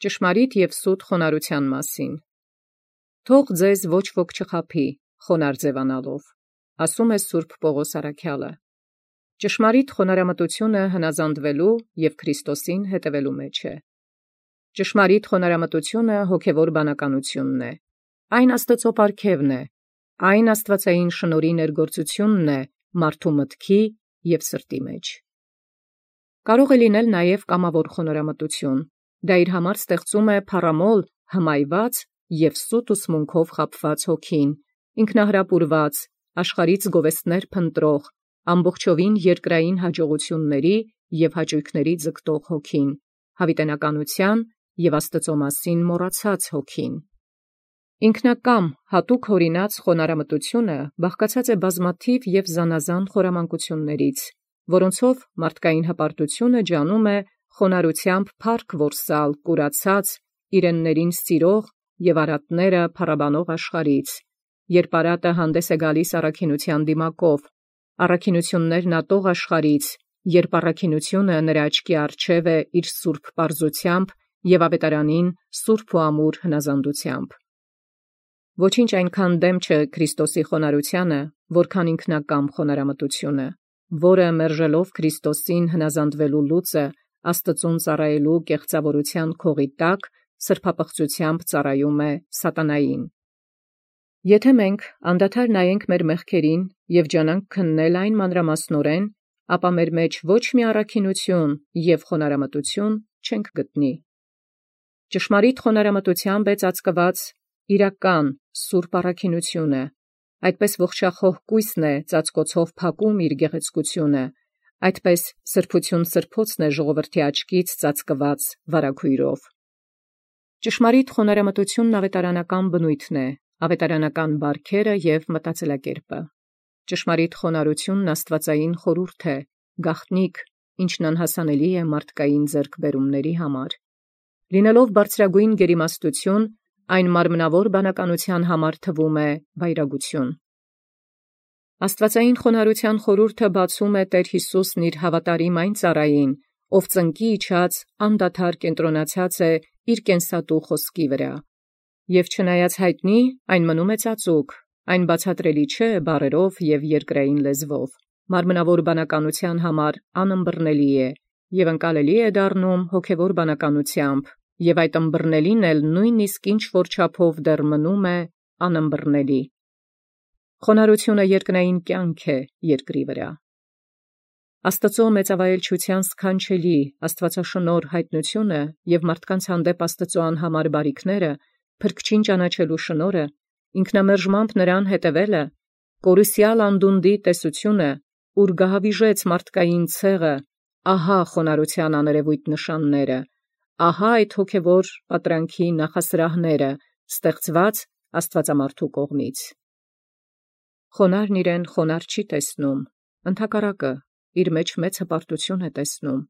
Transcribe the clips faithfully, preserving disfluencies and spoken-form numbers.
Ճշմարիտ և սուտ խոնարհութեան մասին։ Թող ձեզ ոչ ոք չխաբի, խոնարհ ձևանալով, ասում է Սուրբ Պողոս առաքյալը։ Ճշմարիտ խոնարհամտությունը հնազանդվելու և Քրիստոսին հետևելու մեջ է։ Ճշմարիտ խոնարհամտությունը հոգևոր բանականությունն է։ Այն Աստծո պարգևն է, այն աստվածային շնորհի ներգործությունն է մարդու մտքի և սրտի մեջ։ Կարող է լինել նաև կամավոր խոնարհամտություն, դա իր համար ստեղծում է փառամոլ, հմայված և սուտ ուսմունքով խաբված հոգին, ինքնահրապուրված, աշխարհից գովեստներ փնտրող, ամբողջովին երկրային հաջողությունների և հաճույքների ձգտող հոգին, հավիտենականության և Աստծո մասին մոռացած հոգին։ Ինքնակամ հատուկ հորինած խոնարհամտությունը բաղկացած է բազմաթիվ և զանազան խորամանկություններից, որոնցով մարդկային հպարտությունը ջանում է խոնարհությամբ փառք որսալ կուրացած, իրեններին սիրող և արատները փառաբանող աշխարհից, երբ արատը հանդես է գալիս առաքինության դիմակով, առաքինություններն ատող աշխարհից, երբ առաքինությունը նրա աչքի առջև է իր սուրբ պարզությամբ և ավետարանին սուրբ ու ամուր հնազանդությամբ։ Ոչինչ այնքան դեմ չէ Քրիստոսի խոնարհությանը, որքան ինքնակամ խոնարհամտությունը, որը մերժելով Քրիստոսին հնազանդվելու լուծը Աստծուն ծառայելու կեղծավորության քողի տակ սրբապղծությամբ ծառայում է սատանային։ Եթե մենք անդադար նայենք մեր մեղքերին և ջանանք քննել այն մանրամասնորեն, ապա մեր մեջ ոչ մի առաքինություն և խոնարհամտություն չենք գտնի։ Ճշմարիտ խոնարհամտությամբ է ծածկված իրական սուրբ առաքինությունը, այդպես ողջախոհ կույսն է ծածկոցով փակում իր գեղեցկությունը, այդպես սրբություն սրբոցն է ժողովրդի աչքից ծածկված վարագույրով։ Ճշմարիտ խոնարհամտությունն ավետարանական բնույթն է, ավետարանական բարքերը և մտածելակերպը։ Ճշմարիտ խոնարհությունն աստվածային խորհուրդ է, գաղտնիք, ինչն անհասանելի է մարդկային ձեռքբերումների համար։ Լինելով բարձրագույն գերիմաստություն, այն մարմնավոր բանականության համար թվում է վայրագություն։ Աստվածային խոնարհության խորհուրդը բացում է Տեր Յիսուսն իր հավատարիմ այն ծառային, ով ծնկի իջած անդադար կենտրոնացած է իր կենսատու խոսքի վրա, և չնայած յայտնի, այն մնում է ծածուկ, այն բացատրելի չէ բառերով և երկրային լեզվով, մարմնավոր բանականության համար անըմբռնելի է և ընկալելի է դառնում հոգևոր բանականությամբ, և այդ ըմբռնելին էլ նույնիսկ ինչ որ չափով դեռ մնում է անըմբռնելի։ Խոնարհությունը երկնային կյանք է երկրի վրա։ Աստծո մեծավայելչության սքանչելի աստվածաշնորհ հայտնությունը և մարդկանց հանդեպ Աստծո անհամար բարիքները, փրկչին ճանաչելու շնորհը, ինքնամերժմամբ նրան հետևելը, կորուսյալ անդունդի տեսությունը, ուր գահավիժեց մարդկային ցեղը, ահա խոնարհության աներևույթ նշանները, ահա այդ հոգևոր պատրանքի նախասրահները, ստեղծված աստվածամարդու կողմից։ Խոնարհն իրեն խոնարհ չի տեսնում, ընդհակառակը, իր մեջ մեծ հպարտություն է տեսնում։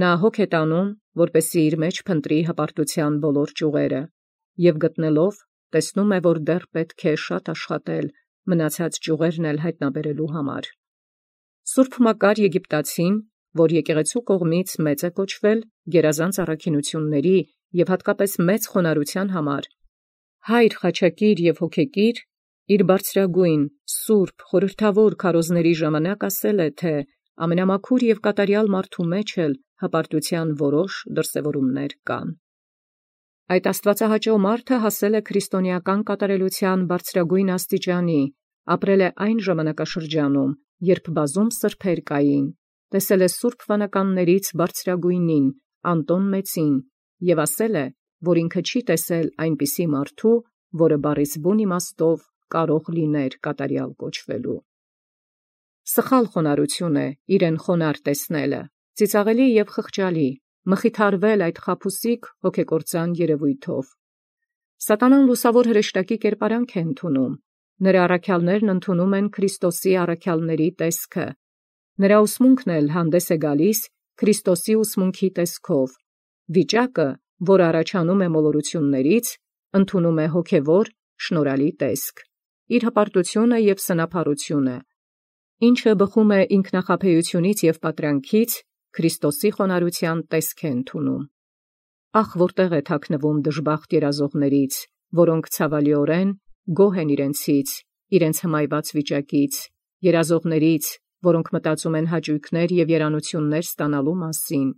Նա հոգ է տանում, որպեսզի իր մեջ փնտրի հպարտության բոլոր ճյուղերը, և գտնելով, տեսնում է, որ դեռ պետք է շատ աշխատել, մնացած ճյուղերն էլ հայտնաբերելու համար։ Սուրբ Մակար Եգիպտացին, որ եկեղեցու կողմից մեծ է կոչվել գերազանց առաքինությունների և հատկապես մեծ խոնարհության համար, հայր խաչակիր և հոգեկիր, իր բարձրագույն, սուրբ, խորհրդավոր քարոզների ժամանակ ասել է, թե ամենամաքուր և կատարյալ մարդու մեջ էլ հպարտության որոշ դրսևորումներ կան։ Այդ աստվածահաճո մարդը հասել է քրիստոնեական կատարելության բարձրագույն աստիճանի, ապրել է այն ժամանակաշրջանում, երբ բազում սրբեր կային, տեսել է սուրբ վանականներից բարձրագույնին, Անտոն Մեծին, և ասել է, որ ինքը չի տեսել այնպիսի մարդու, որը բառիս բուն իմաստով կարող լիներ կատարյալ կոչվելու։ Սխալ խոնարհություն է իրեն խոնարհ տեսնելը, ծիծաղելի և խղճալի, մխիթարվել այդ խաբուսիկ հոգեկործան երևույթով։ Սատանան լուսավոր հրեշտակի կերպարանք է ընդունում, նրա առաքյալներն ընդունում են Քրիստոսի առաքյալների տեսքը, նրա ուսմունքն էլ հանդես է գալիս Քրիստոսի ուսմունքի տեսքով, վիճակը, որ առաջանում է մոլորություններից, ընդունում է հոգևոր շնորհալի տեսք, իր հպարտությունը և սնափառությունը, ինչը բխում է ինքնախաբեությունից և պատրանքից, Քրիստոսի խոնարհության տեսք է ընդունում։ Ախ, որտեղ է թաքնվում դժբախտ երազողներից, որոնք ցավալիորեն գոհ են իրենցից, իրենց հմայված վիճակից, երազողներից, որոնք մտածում են հաճույքներ և երանություններ ստանալու մասին,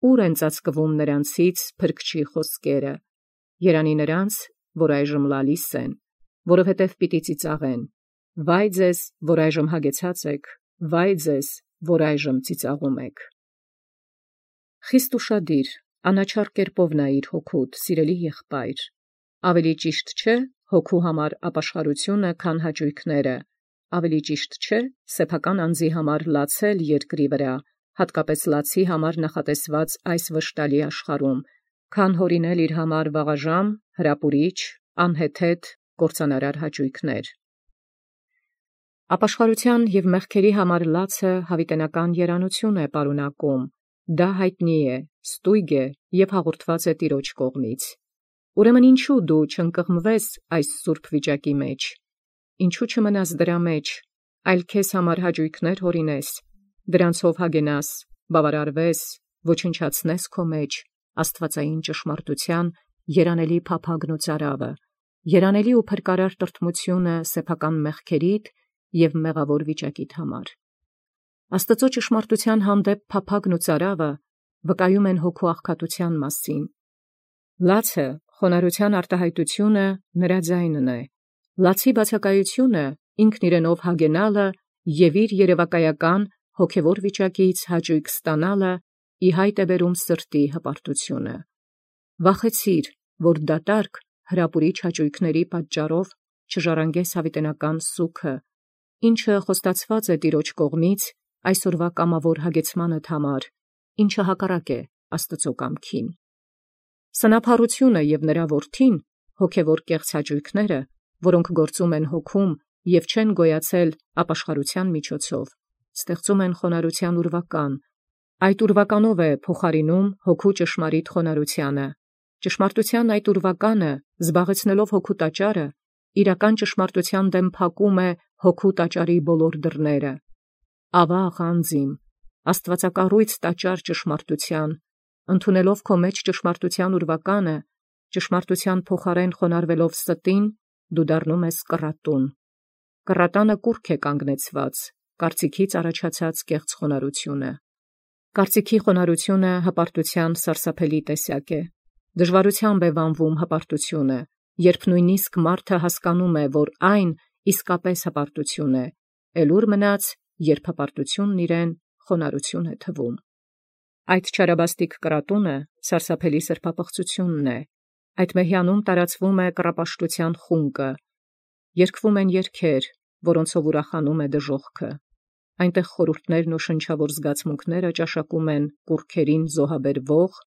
ուր են ծածկվում նրանցից փրկչի խոսքերը, երանի նրանց, որ այժմ լալիս են, որովհետև պիտի ծիծաղեն, վայ ձեզ, որ այժմ հագեցած եք, վայ ձեզ, որ այժմ ծիծաղում եք։ Խիստ ուշադիր, անաչառ կերպով նայիր հոգուդ, սիրելի եղբայր, ավելի ճիշտ չէ հոգու համար ապաշխարությունը, քան հաճույքները, ավելի ճիշտ չէ սեփական անձի համար լացել երկրի վրա, հատկապես լացի համար նախատեսված այս վշտալի աշխարհում, քան հորինել իր համար վաղաժամ, հրապուրիչ, անհեթեթ, կործանարար հաճույքներ։ Ապաշխարության և մեղքերի համար լացը հավիտենական երանություն է պարունակում, դա հայտնի է, ստույգ է և հաղորդված է Տիրոջ կողմից։ Ուրեմն ինչու դու չընկղմվես այս սուրբ վիճակի մեջ, ինչու չմնաս դրա մեջ, այլ քեզ համար հաճույքներ հորինես, դրանցով հագենաս, բավարարվես, ոչնչացնես քո մեջ աստվածային ճշմարտության երանելի փափագն ու ծարավը, երանելի ու փրկարար տրտմությունը սեփական մեղքերիդ և մեղավոր վիճակիդ համար։ Աստծո ճշմարտության հանդեպ փափագն ու ծարավը վկայում են հոգու աղքատության մասին։ Լացը, խոնարհության արտահայտությունը նրա ձայնն է, լացի բացակայությունը ինքն իրենով հագենալը և իր երևակայական հոգևոր վիճակից հաճույք ստանալը ի հայտ է բերում սրտի հպարտությունը։ Վախեցիր, որ դատարկ հրապուրիչ հաճույքների պատճառով չժառանգես հավիտենական սուգը, ինչը խոստացված է Տիրոջ կողմից այսօրվա կամավոր հագեցմանդ համար, ինչը հակառակ է Աստծո կամքին։ Սնափառությունը և նրա որդին, հոգևոր կեղծ հաճույքները, որոնք գործում են հոգում և չեն գոյացել ապաշխարության միջոցով, ստեղծում են խոնարհության ուրվական, այդ ուրվականով է փոխարինում հոգու ճշմարիտ խոնարհությանը, ճշմարտության այդ ուրվականը, զբաղեցնելով հոգու տաճարը, իրական ճշմարտության դեմ փակում է հոգու տաճարի բոլոր դռները։ Ավաղ անձիմ, աստվածակառույց տաճար ճշմարտության, ընդունելով քո մեջ ճշմարտության ուրվականը, ճշմարտության փոխարեն խոնարհվելով ստին, դու դառնում ես կռատուն։ Կռատանը կուռք է կանգնեցված, կարծիքից առաջացած կեղծ խոնարհությունը։ Կարծիքի խոնարհությունը հպարտության սարսափելի տեսակ է։ Դժվարությամբ է վանվում հպարտությունը, երբ նույնիսկ մարդը հասկանում է, որ այն իսկապես հպարտություն է, էլ ուր մնաց, երբ հպարտությունն իրեն խոնարհություն է թվում։ Այդ չարաբաստիկ կռատունը սարսափելի սրբապղծությունն է, այդ մեհյանում տարածվում է կռապաշտության խունկը, երգվում են երգեր, որոնցով ուրախանում է դժոխքը, այնտեղ խորհուրդներն ու շնչավոր զգացմունքները ճաշակում են կուռքերին զոհաբերվող,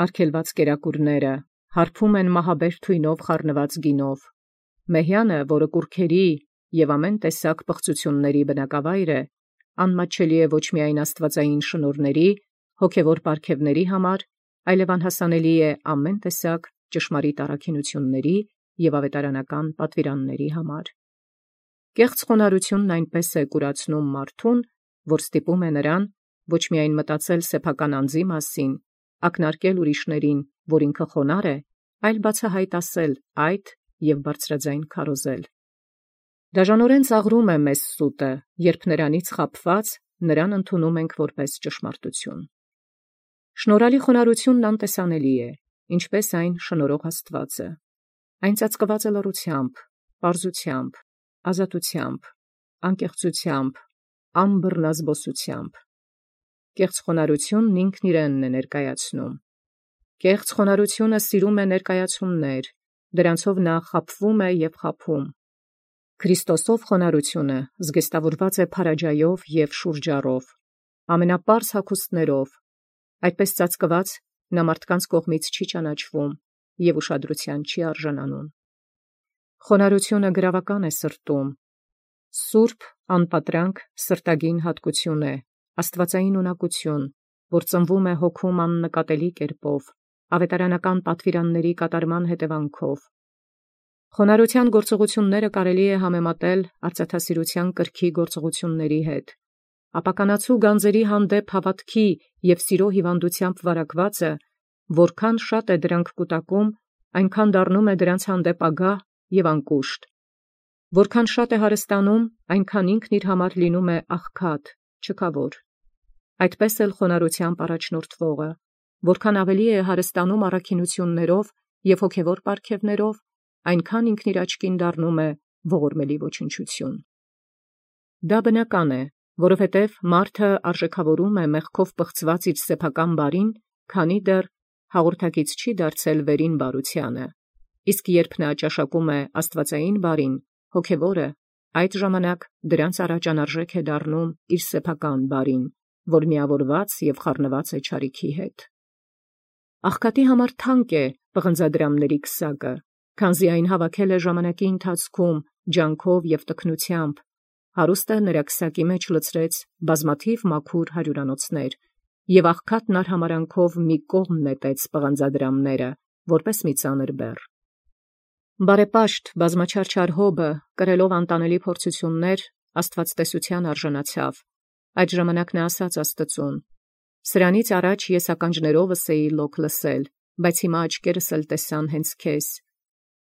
արգելված կերակուրները, հարբում են մահաբեր թույնով խառնված գինով։ Մեհյանը, որը կուռքերի և ամեն տեսակ պղծությունների բնակավայր է, անմատչելի է ոչ միայն աստվածային շնորհների, հոգևոր պարգևների համար, այլև անհասանելի է ամեն տեսակ ճշմարիտ առաքինությունների և ավետարանական պատվիրանների համար։ Կեղծ խոնարհությունն այնպես է կուրացնում մարդուն, որ ստիպում է նրան ոչ միայն մտածել սեփական անձի մասին, ակնարկել ուրիշներին, որ ինքը խոնարհ է, այլ բացահայտ ասել այդ և բարձրաձայն քարոզել։ Դաժանորեն ծաղրում է մեզ սուտը, երբ նրանից խաբված նրան ընդունում ենք որպես ճշմարտություն։ Շնորհալի խոնարհությունն անտեսանելի է, ինչպես այն շնորհող Աստվածը։ Այն ծածկված է լռությամբ, պարզությամբ, ազատությամբ, անկեղծությամբ, անբռնազբոսությամբ։ Կեղծ խոնարհությունն ինքն իրենն է ներկայացնում։ Կեղծ խոնարհությունը սիրում է ներկայացումներ, դրանցով նա խաբվում է և խաբում։ Քրիստոսով խոնարհությունը զգեստավորված է փարաջայով և շուրջառով, ամենապարզ հագուստներով, այդպես ծածկված նա մարդկանց կողմից չի ճանաչվում և ուշադրության չի արժանանում։ Խոնարհությունը գրավական է սրտում, սուրբ, անպատրանք սրտագին հատկություն է, աստվածային ունակություն, որ ծնվում է հոգում աննկատելի կերպով, ավետարանական պատվիրանների կատարման հետևանքով։ Խոնարհության գործողությունները կարելի է համեմատել արծաթասիրության կրքի գործողությունների հետ։ Ապականացու գանձերի հանդեպ հավատքի և սիրո հիվանդությամբ վարակվածը որքան շատ է դրանք կուտակում, այնքան դառնում է դրանց հանդեպ ագահ և անկուշտ. որքան շատ է հարստանում, այնքան ինքն իր համար լինում է աղքատ, չքավոր։ Այդպես էլ խոնարհությամբ առաջնորդվողը, որքան ավելի է հարստանում առաքինություններով և հոգևոր պարգևներով, այնքան ինքն իր աչքին դառնում է ողորմելի ոչնչություն։ Դա բնական է, որովհետև մարդը արժեքավորում է մեղքով պղծված իր սեփական բարին, քանի դեռ հաղորդակից չի դարձել վերին բարությանը, իսկ երբ նա ճաշակում է աստվածային բարին, հոգևորը, այդ ժամանակ դրանց առաջ անարժեք է դառնում իր սեփական բարին, որ միավորված և խառնված է չարիքի հետ։ Աղքատի համար թանկ է պղնձադրամների քսակը, քանզի այն հավաքել է ժամանակի ընթացքում ջանքով և տքնությամբ, հարուստը նրա քսակի մեջ լցրեց բազմաթիվ մաքուր հարյուրանոցներ, և աղքատն արհամարանքով մի կողմ նետեց պղնձադրամները, որպես մի ծանր բեռ։ Բարեպաշտ բազմաչարչար Հոբը, կրելով անտանելի փորձություններ, աստվածտեսության արժանացավ։ Այդ ժամանակ նա ասաց Աստծուն. «Սրանից առաջ ես ականջներովս էի լոկ լսել, բայց հիմա աչքերս էլ տեսան հենց քեզ։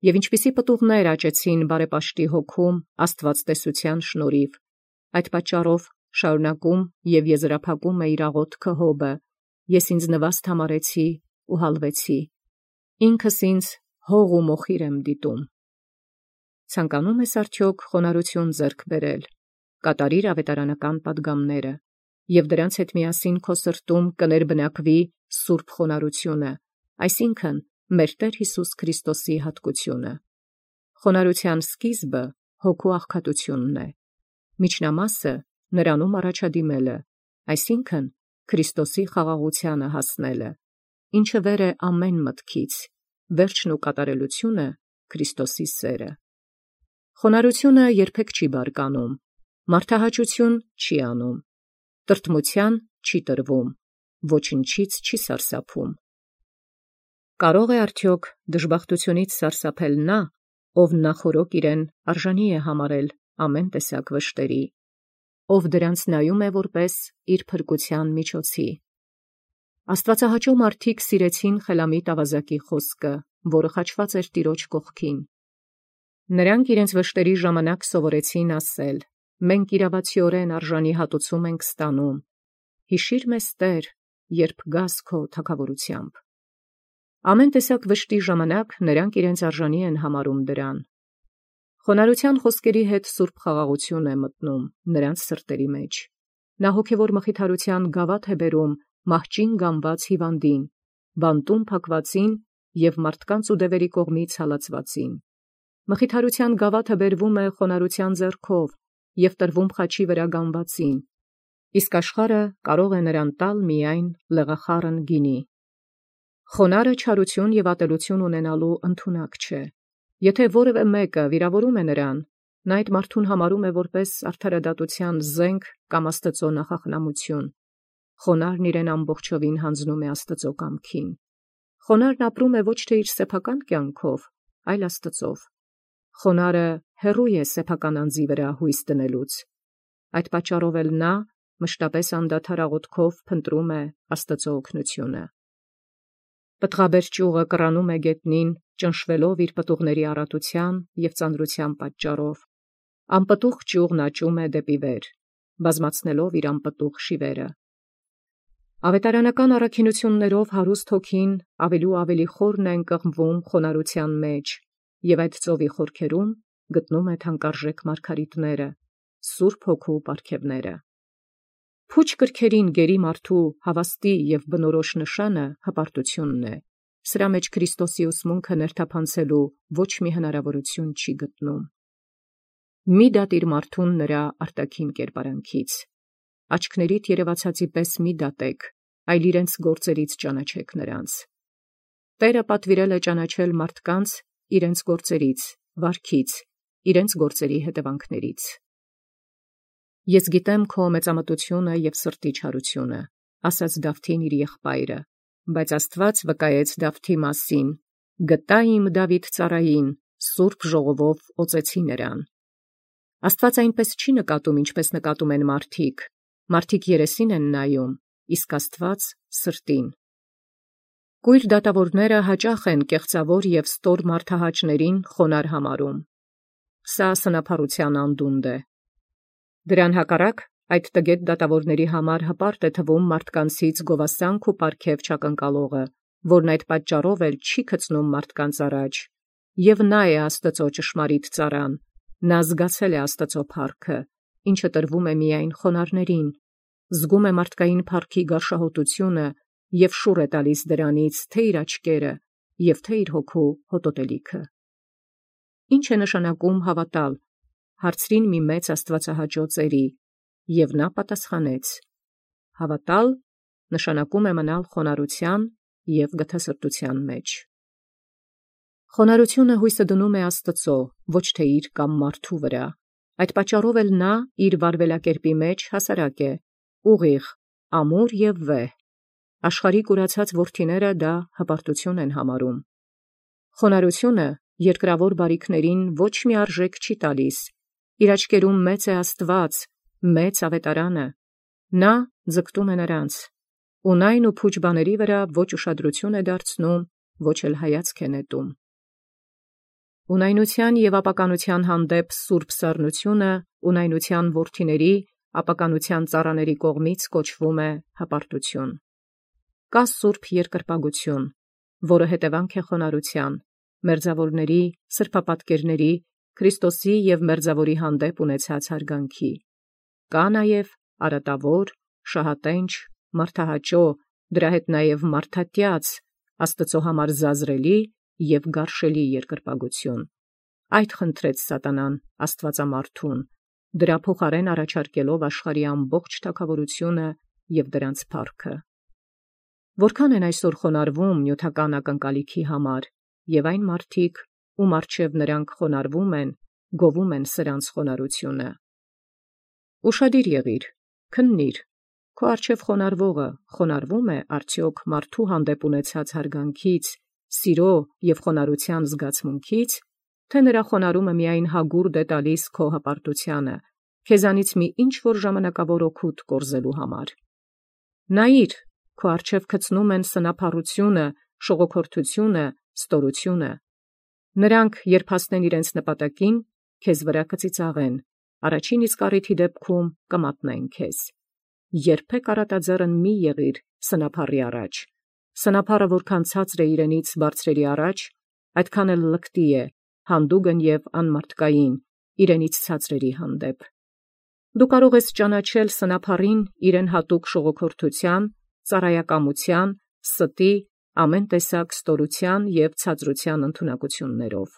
Եվ ինչպիսի պտուղներ աճեցին բարեպաշտի հոգում աստվածտեսության շնորհիվ։ Այդ պատճառով շարունակում և եզրափակում է իր աղոթքը Հոբը. ես ինձ նվաստ համարեցի ու հալվեցի, ինքս ինձ հող ու մոխիր եմ դիտում»։ Ցանկանում ես արդյոք խոնարհություն ձեռք բերել, կատարիր ավետարանական պատգամները, և դրանց հետ միասին քո սրտում կներբնակվի սուրբ խոնարհությունը, այսինքն մեր Տեր Հիսուս Քրիստոսի հատկությունը։ Խոնարհության սկիզբը հոգու աղքատությունն է, միջնամասը նրանում առաջադիմելը, այսինքն Քրիստոսի խաղաղությանը հասնելը, ինչը վեր է ամեն մտքից, վերջն ու կատարելությունը Քրիստոսի սերը։ Խոնարհությունը երբեք չի բարկանում, մարդահաճություն չի անում, տրտմության չի տրվում, ոչնչից չի սարսափում։ Կարո՞ղ է արդյոք դժբախտությունից սարսափել նա, ով նախօրոք իրեն արժանի է համարել ամեն տեսակ վշտերի, ով դրանց նայում է որպես իր փրկության միջոցի։ Աստվածահաճո մարդիկ սիրեցին խելամիտ ավազակի խոսքը, որը խաչված էր Տիրոջ կողքին։ Նրանք իրենց վշտերի ժամանակ սովորեցին ասել. «Մենք իրավացիորեն արժանի հատուցում ենք ստանում. հիշիր մեզ, Տեր, երբ գաս քո թագավորությամբ»։ Ամեն տեսակ վշտի ժամանակ նրանք իրենց արժանի են համարում դրան։ Խոնարհության խոսքերի հետ սուրբ խաղաղություն է մտնում նրանց սրտերի մեջ։ Նա հոգևոր մխիթարության գավաթ է բերում մահճին գանված հիվանդին, բանտում փակվածին և մարդկանց ու դևերի կողմից հալածվածին։ Մխիթարության գավաթը բերվում է խոնարհության ձեռքով և տրվում խաչի վրա գանվածին, իսկ աշխարհը կարող է նրան տալ միայն լեղախառն գինի։ Խոնարհը չարություն և ատելություն ունենալու ընդունակ չէ։ Եթե որևէ մեկը վիրավորում է նրան, նա այդ մարդուն համարում է որպես արդարադատության զենք կամ Աստծո նախախնամություն։ Խոնարհն իրեն ամբողջովին հանձնում է Աստծո կամքին։ Խոնարհն ապրում է ոչ թե իր սեփական կյանքով, այլ Աստծով։ Խոնարհը հեռու է սեփական անձի վրա հույս դնելուց։ Այդ պատճառով էլ նա մշտապես անդադար աղոթքով փնտրում է Աստծո օգնությունը։ Պտղաբեր ճյուղը կռանում է գետնին, ճնշվելով իր պտուղների առատության և ծանրության պատճառով։ Անպտուղ ճյուղն աճում է դեպի վեր, բազմացնելով իր անպտուղ շիվերը։ Ավետարանական առաքինություններով հարուստ հոգին ավելի ու ավելի խորն է ընկղմվում խոնարհության մեջ, և այդ ծովի խորքերում գտնում է թանկարժեք մարգարիտները, սուրբ հոգու պարգևները։ Փուչ կրքերին գերի մարդու հավաստի և բնորոշ նշանը հպարտությունն է, սրա մեջ Քրիստոսի ուսմունքը ներթափանցելու ոչ մի հնարավորություն չի գտնում։ Մի դատիր մարդուն նրա արտաքին կերպարանքից, աչքներիդ երևացածի պես մի դատեք, այլ իրենց գործերից ճանաչեք նրանց։ Տերը պատվիրել է ճանաչել մարդկանց իրենց գործերից, վարքից, իրենց գործերի հետևանքներից։ Ես գիտեմ քո մեծամտությունը և սրտի չարությունը, ասաց Դավթին իր եղբայրը, բայց Աստված վկայեց Դավթի մասին. գտա իմ Դավիթ ծառային, սուրբ ժողովով օծեցի նրան։ Աստված այնպես չի նկատում, ինչպես նկատում են մարդիկ. մարդիկ երեսին են նայում, իսկ Աստված սրտին։ Կույր դատավորները հաճախ են կեղծավոր և ստոր մարդահաճներին խոնար համարում։ Սա սնափառութեան անդունդ է։ Դրան հակառակ այդ տգետ դատավորների համար հպարտ է թվում մարդկանցից գովասանք ու պարգև չակնկալողը, որն այդ պատճառով էլ չի գցնում մարդկանց առաջ, և նա է Աստծո ճշմարիտ ծառան, նա զգացել է Աստծո փառքը, ինչը տրվում է միայն խոնարհներին, զգում է մարդկային փառքի գարշահոտությունը և շուռ է տալիս դրանից թե իր աչքերը և թե իր հոգու հոտոտելիքը։ Ինչ է նշանակում հավատալ, հարցրին մի մեծ աստվածահաճո ծերի, և նա պատասխանեց. հավատալ նշանակում է մնալ խոնարհության և գթասրտության մեջ։ Խոնարհությունը հույսը դնում է Աստծո, ոչ թե իր կամ մարդու վրա։ Այդ պատճառով էլ նա իր վարվելակերպի մեջ հասարակ է, ուղիղ, ամուր և վեհ։ Աշխարհի կուրացած որդիները դա հպարտություն են համարում։ Խոնարհությունը երկրավոր բարիքներին ոչ մի արժեք չի տալիս, իր աչքերում մեծ է Աստված, մեծ ավետարանը, նա ձգտում է նրանց, ունայն ու փուչ բաների վրա ոչ ուշադրություն է դարձնում, ոչ էլ հայացք է նետում։ Ունայնության և ապականության հանդեպ սուրբ սառնությունը ունայնության որդիների, ապականության ծառաների կողմից կոչվում է հպարտություն։ Կա սուրբ երկրպագություն, որը հետևանք է խոնարհության, մերձավորների, սրբապատկերների, Քրիստոսի և մերձավորի հանդեպ ունեցած հարգանքի։ Կա նաև արատավոր, շահատենչ, մարդահաճո, դրա հետ նաև մարդատյաց, Աստծո համար զազրելի և գարշելի երկրպագություն։ Այդ խնդրեց սատանան աստվածամարդուն, դրա փոխարեն առաջարկելով աշխարհի ամբողջ թագաւորությունը և դրանց փառքը։ Որքան են այսօր խոնարհվում նյութական ակնկալիքի համար, և այն մարդիկ, ում առջև նրանք խոնարհվում են, գովում են սրանց խոնարհությունը։ Ուշադիր եղիր, քննիր, քո առջև խոնարհվողը խոնարհվում է արդյոք մարդու հանդեպ ունեցած հարգանքից, սիրո և խոնարհության զգացմունքից, թե նրա խոնարհումը միայն հագուրդ է տալիս քո հպարտությանը, քեզանից մի ինչ-որ ժամանակավոր օգուտ կորզելու համար։ Նայիր, քո առջև գցնում են սնափառությունը, շողոքորթությունը, ստորությունը։ Նրանք, երբ հասնեն իրենց նպատակին, քեզ վրա կծիծաղեն, առաջին իսկ առիթի դեպքում կմատնեն քեզ։ Երբեք առատաձեռն մի եղիր սնափառի առաջ։ Սնափառը որքան ցածր է իրենից բարձրերի առաջ, այդքան էլ լկտի է, հանդուգն և անմարդկային իրենից ցածրերի հանդեպ։ Դու կարող ես ճանաչել սնափառին իրեն հատուկ շողոքորթության, ծառայակամության, ստի, ամեն տեսակ ստորության և ցածրության ընդունակություններով։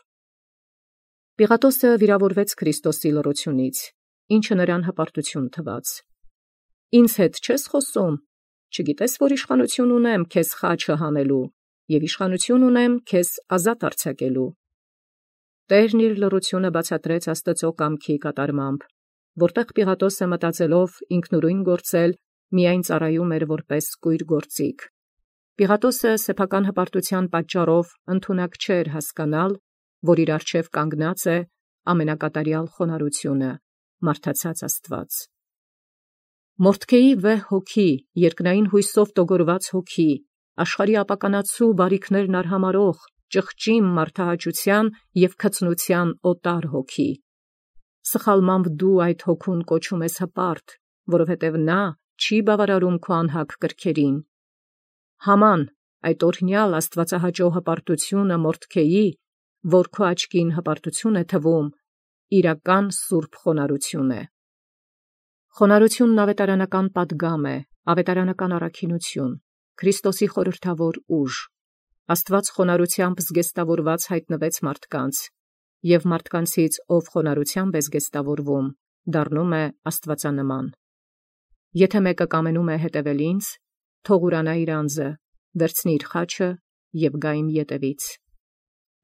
Պիղատոսը վիրավորվեց Քրիստոսի լռությունից, ինչը նրան հպարտություն թվաց։ Ինձ հետ չե՞ս խոսում, չգիտես, որ իշխանություն ունեմ քեզ խաչը հանելու և իշխանություն ունեմ քեզ ազատ արձակելու։ Տերն իր լռությունը բացատրեց Աստծո կամքի կատարմամբ, որտեղ Պիղատոսը մտածելով ինքնուրույն գործել, միայն ծառայում էր որպես կույր գործիք։ Պիղատոսը սեփական հպարտության պատճառով ընդունակ չէր հասկանալ, որ իր առջև կանգնած է ամենակատարյալ խոնարհությունը, մարդացած Աստված։ Մորդքեի վեհ հոգի, երկնային հույսով տոգորված հոգի, աշխարհի ապականացու բարիքներն արհամարհող, ճղճիմ մարդահաճության և գթծնության օտար հոգի։ Սխալմամբ դու այդ հոգուն կոչում ես հպարտ, որովհետև նա չի բավարարում քո անհագ կրքերին։ Haman, այդ օրհնյալ աստվածահաճո հպարտությունը մորդքեի, որ քո աչքին հպարտություն է թվում, իրական սուրբ խոնարհություն է։ Խոնարհությունն ավետարանական պատգամ է, ավետարանական առաքինություն, Քրիստոսի խորհրդավոր ուժ։ Աստված խոնարհությամբ զգեստավորված հայտնվեց մարդկանց, և մարդկանցից ով խոնարհությամբ է զգեստավորվում, դառնում է աստվածանման։ Եթե մեկը կամենում է հետևել ինձ, թող ուրանա իր անձը, վերցնի իր խաչը և գա իմ ետևից։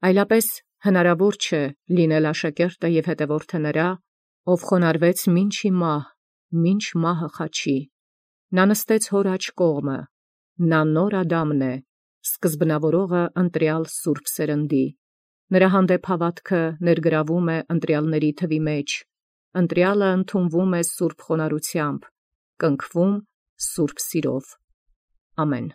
Այլապես հնարավոր չէ լինել աշակերտը և հետևորդը նրա, ով խոնարհվեց մինչ ի մահ, մինչ մահը խաչի։ Նա նստեց հոր աջ կողմը, նա նոր Ադամն է, սկզբնավորողը ընտրյալ սուրբ սերնդի։ Նրա հանդեպ հավատքը ներգրավում է ընտրյալների թվի մեջ, ընտրյալը ընդունվում է սուրբ խոնարհությամբ, կնքվում սուրբ սիրով։ Ամեն։